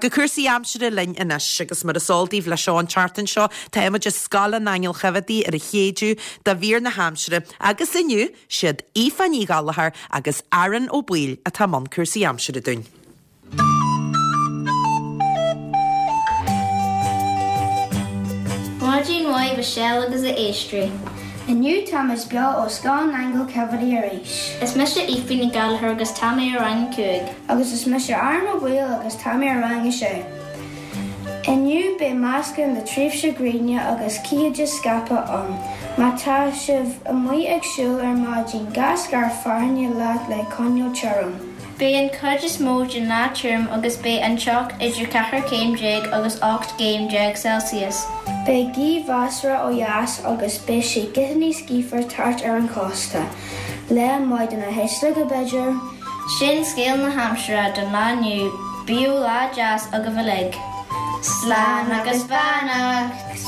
Go cúrsaí aimsire linn anois agus mar is eol daoibh leis seo an tseachtain seo tá muid i Scoil an Aingil Choimheadaigh ar an Chéideadh do mhír na haimsire agus inniu siad Aoife Ní Ghallchóir agus Aaron Ó Baoill atá i mbun cúrsaí aimsire dúinn. Maidin mhaith Michelle agus a éisteoirí. Inniu táimid beo ó Scoil an Aingil Choimheadaigh arís. Is mise Aoife Ní Ghallchóir agus tá mé i rang a 5. Agus is mise Aaron Ó Baoill agus tá mé i rang a sé. Inniu beidh meascán de tréimhse gréine agus cítheide scaipthe ann. Má tá sibh amuigh ag siúl ar maidin, gabh scairf fearthainne leat le coinneáil tirim. Beidh an chuid is mó den lá tirim agus beidh an teocht idir 14 céim agus 18 gcéim Celsius. Beidh gaoth mheasartha ó dheas agus beidh sé giota níos gaofar thart ar an chósta. Lá maith do na hísleoga, b'fhéidir? Sin scéal na haimsire don lá inniu, bíodh lá deas agaibh uilig. Slán agus beannacht!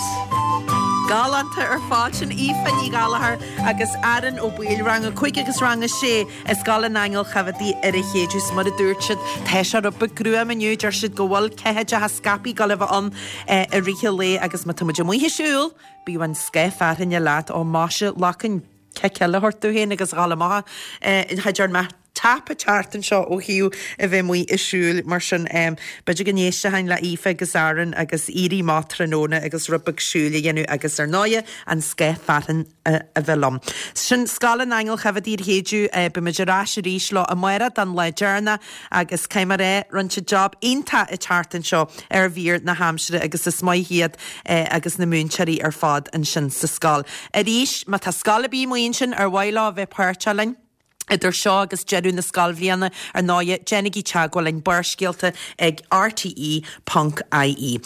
Galánta ar fad sin Aoife Ní Ghallchóir agus Aaron Ó Baoill, rang 5 agus rang 6 i Scoil an Aingil Choimheadaigh ar an Chéideadh. Is mar a dúirt siad, tá sé rud beag gruama inniu, deir siad go bhfuil ceathaideacha scaipthe ag dul a bheith ann i rith an lae agus má tá muid amuigh ag siúl, bíodh an scáth fearthainne leat, ó maise, lacain. cic eile a thabhairt domh féin agus a dhul amach cha dtearn mé tapa ceart anseo ó thaobh a bheith amuigh ag siúl mar sin b'fhéidir go n-éistfinn le Aoife agus Aaron agus éirí amach tráthnóna agus rud beag siúil a dhéanamh agus ar ndóighe an scáth fearthainn a bheith liom. Sin Scoil an Aingil Choimheadaigh ar Chéideadh. Beimid ar ais arís leo amárach don lá deireanach agus caithfidh mé a rá, rinne siad job iontach an tseachtain seo ar mhír na haimsire agus is maith iad agus na múinteoirí ar fad ansin sa scoil. Arís, má tá scoil ar bith amuigh ansin ar mhaith leo a bheith páirteach linn, idir seo agus deireadh na scoilbhliana, ar ndóighe, déanaigí teagmháil linn, Barrscéalta ag rte ponc ie.